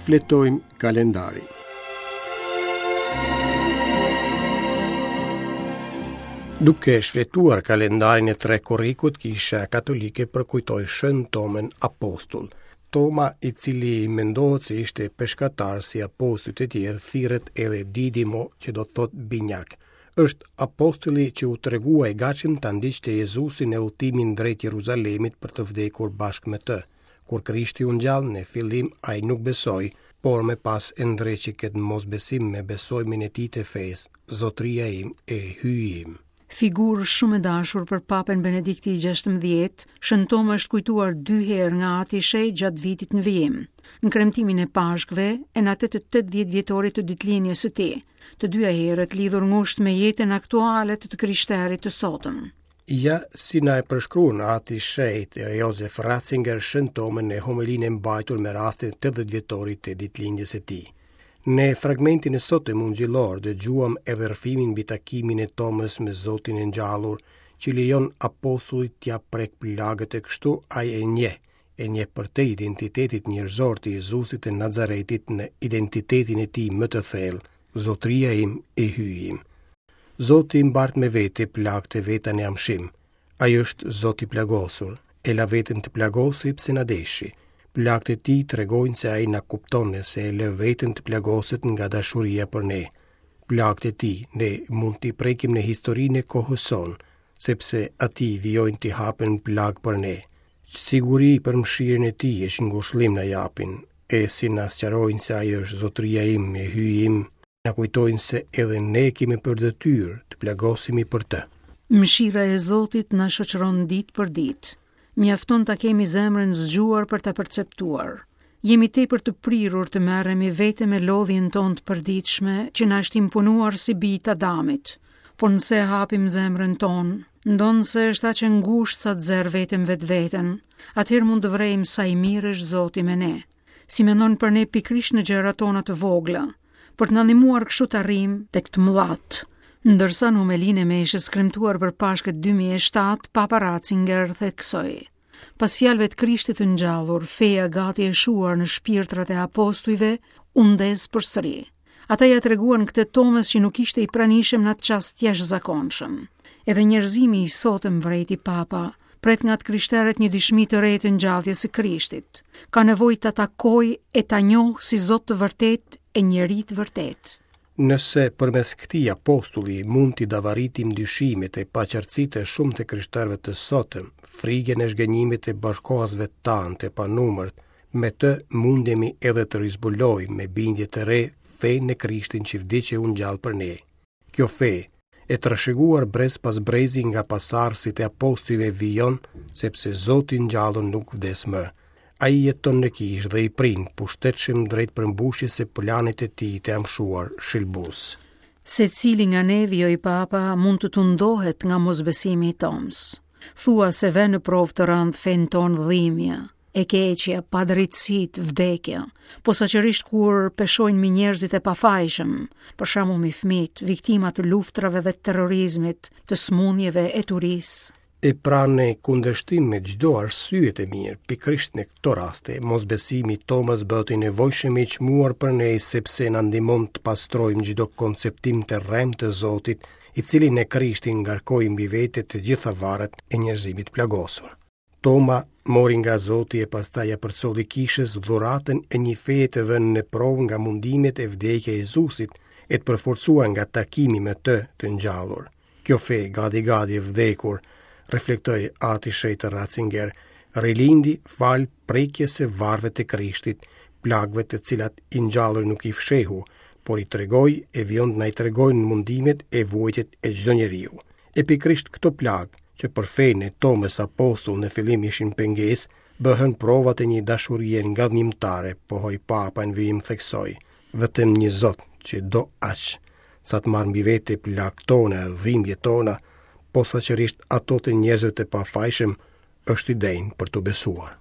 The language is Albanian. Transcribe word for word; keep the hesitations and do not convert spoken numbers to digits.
Shfletojmë kalendarin. Duke shfletuar kalendarin e tre korrikut, Kisha Katolike përkujtoi Shën Tomën Apostull. Toma, i cili mendohet se ishte peshkatar si apostujt e tjerë, thirret edhe Didimo, që do të thotë binjak. Është apostulli që u tregua i gatshëm ta ndiqte Jezusin në udhëtimin drejt Jeruzalemit për të vdekur bashkë me të. Kur Krishti u ngjall, në fillim ai nuk besoi, por më pas e ndreqi këtë mosbesim me besimin e tij të fesë, Zotëria im e Hyji im. Figurë shumë e dashur për Papën Benedikti i gjashtëmbëdhjetë, Shën Toma është kujtuar dy herë nga Ati i Shenjtë gjatë vitit në vijim, në kremtimin e Pashkëve e në atë të tetëdhjetë vjetorit të ditëlindjes së tij, të dyja herët lidhur ngushtë me jetën aktuale të të krishterit të sotëm. Ja si na e përshkruan Ati i Shenjtë Josef Ratzinger Shën Tomën në homelinë e mbajtur me rastin e tetëdhjetë vjetorit të ditëlindjes së tij. Në fragmentin e sotëm ungjillor dëgjuam edhe rrëfimin mbi takimin e Tomës me Zotin e ngjallur, që lejon apostullit t'ia prek plagët e kështu ai e njeh, e njeh përtej identitetit njerëzor të Jezusit të Nazaretit në identitetin e tij më të thellë, Zotëria im e Hyji im. Zoti mbart me vete plagët e veta në amshim. Ai është Zoti i plagosur, e la veten të plagosej pse na deshi. Plagët e tij tregojnë se ai na kupton e se e lë veten të plagoset nga dashuria për ne. Plagët e tij ne mund t'i prekim në historinë e kohës sonë, sepse atij vijojnë t'i hapen plagë për ne. Siguri për mëshirën e tij e ngushëllim na japin, e si na sqarojnë se ai është Zotëria im e Hyji im, na kujtojnë se edhe ne kemi për detyrë të plagosemi për të. Mëshira e Zotit na shoqëron ditë për ditë. Mjafton ta kemi zemrën zgjuar për ta perceptuar. Jemi tepër të prirur të merremi vetëm me lodhjen tonë të përditshme që na është imponuar si bijtë të Adamit. Por nëse e hapim zemrën tonë, ndonëse është aq e ngushtë sa të zërë vetëm vetveten, atëherë mund të vrejmë sa i mirë është Zoti me ne. Si mendon për ne pikërisht në gjërat tona të vogla, për të na ndihmuar kështu të arrijmë tek të mëdhat. Ndërsa në homelinë e meshës kremtuar për Pashkët dy mijë e shtatë, Papa Ratzinger theksoi: Pas fjalëve të Krishtit të ngjallur, feja gati e shuar në shpirtrat e apostujve u ndez përsëri. Ata ja treguan këtë Tomës që nuk ishte i pranishëm në atë çast jashtëzakonshëm. Edhe njerëzimi i sotëm, vrejti Papa, pret nga të krishterët një dëshmi të re të ngjalljes së Krishtit. Ka nevojë ta takojë e ta njohë si Zot të vërtet e njeri të vërtet. Nëse përmes këtij apostulli mund t'i davaritim dyshimet e paqartësitë e shumë të krishterëve të sotëm, frigën e zhgënjimit e bashkohasve tanë të panumërt, me të mundemi edhe të rizbulojmë me bindje të re fenë në Krishtin që vdiq e u ngjall për ne. Kjo fe, e trashëguar brez pas brezi nga pasardhësit e apostujve vijon, sepse Zoti ngjallur nuk vdes më. Ai jeton në kishë dhe i prin pushtetshëm drejt përmbushjes së planit të tij të amshuar shëlbues. Secili nga ne, vijoi Papa, mund të tundohet nga mosbesimi i Toms. Thua se vë në provë të rëndë fenë tonë dhimbja, e keqja, padrejtësitë, vdekja, posaçërisht kur peshojnë mi njerëzit e pafajshëm, për shembull mi fëmijët, viktima të luftrave dhe terrorizmit, të smunjeve e turisë. E pra në kundërshtim me çdo arsye të mirë, pikërisht në këto raste, mosbesimi i Tomës bëhet i nevojshëm i çmuar për ne sepse na ndihmon të pastrojmë çdo konceptim të rremë të Zotit, i cili në Krishtin ngarkoi mbi vete të gjitha varet e njerëzimit plagosur. Toma mori nga Zoti e pastaj ja përcolli kishës dhuratën e një feje të vënë në provë nga mundimet e vdekja e Jezusit e të përforcuar nga takimi me të të ngjallur. Kjo fe gati gati e vdekur, reflektoi Ati Shenjtë Ratzinger, rilindi fal prekjes së varëve të Krishtit, plagëve të cilat i ngjallur nuk i fshehu, por i tregoi e vijon të na i tregojnë mundimet e vuajtjet e çdo njeriu. E pikërisht këto plagë, që për fenë e Tomës apostull në fillim ishin pengesë, bëhen provat e një dashurie ngadhnjimtare, pohoi Papa në vijim theksoi, vetëm një Zot që do aq, sa të marrë mbi vete plagët tona, dhimbjet tona, posaçërisht ato të njerëzve të pafajshëm, është i denjë për t'u besuar.